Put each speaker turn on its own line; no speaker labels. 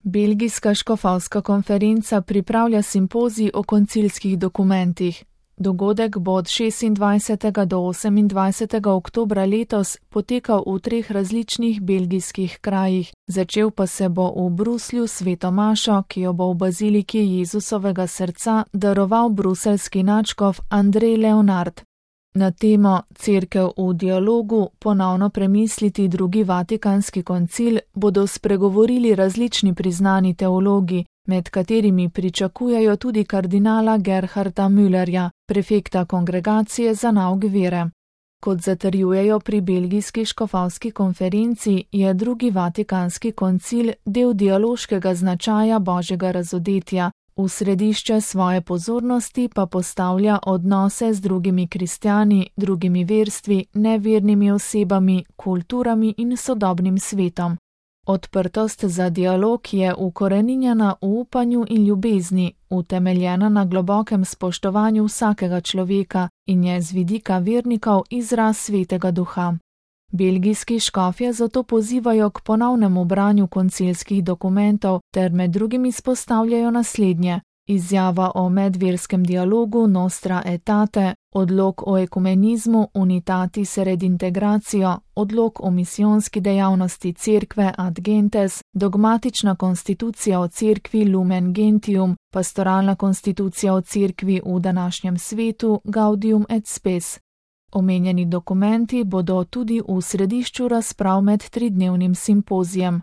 Belgijska škofovska konferenca pripravlja simpozij o koncilskih dokumentih. Dogodek bo od 26. do 28. oktobra letos potekal v 3 različnih belgijskih krajih. Začel pa se bo v Bruslju s sveto mašo, ki jo bo v baziliki Jezusovega srca daroval bruseljski nadškof Andrej Leonard. Na temo Cerkev v dialogu, ponovno premisliti drugi Vatikanski koncil, bodo spregovorili različni priznani teologi, med katerimi pričakujejo tudi kardinala Gerharda Müllerja, prefekta Kongregacije za nauk vere. Kot zatrjujejo pri belgijski škofovski konferenci, je drugi Vatikanski koncil del dialoškega značaja Božjega razodetja, v središče svoje pozornosti pa postavlja odnose z drugimi kristjani, drugimi verstvi, nevernimi osebami, kulturami in sodobnim svetom. Odprtost za dialog je ukoreninjena v upanju in ljubezni, utemeljena na globokem spoštovanju vsakega človeka in je z vidika vernikov izraz svetega duha. Belgijski škofje zato pozivajo k ponovnemu branju koncilskih dokumentov ter med drugim izpostavljajo naslednje: izjava o medverskem dialogu Nostra Aetate, odlok o ekumenizmu Unitatis Redintegratio, odlok o misijonski dejavnosti Cerkve Ad Gentes, dogmatična konstitucija o Cerkvi Lumen Gentium, pastoralna konstitucija o Cerkvi v današnjem svetu Gaudium et Spes. Omenjeni dokumenti bodo tudi v središču razprav med 3-dnevnim simpozijem.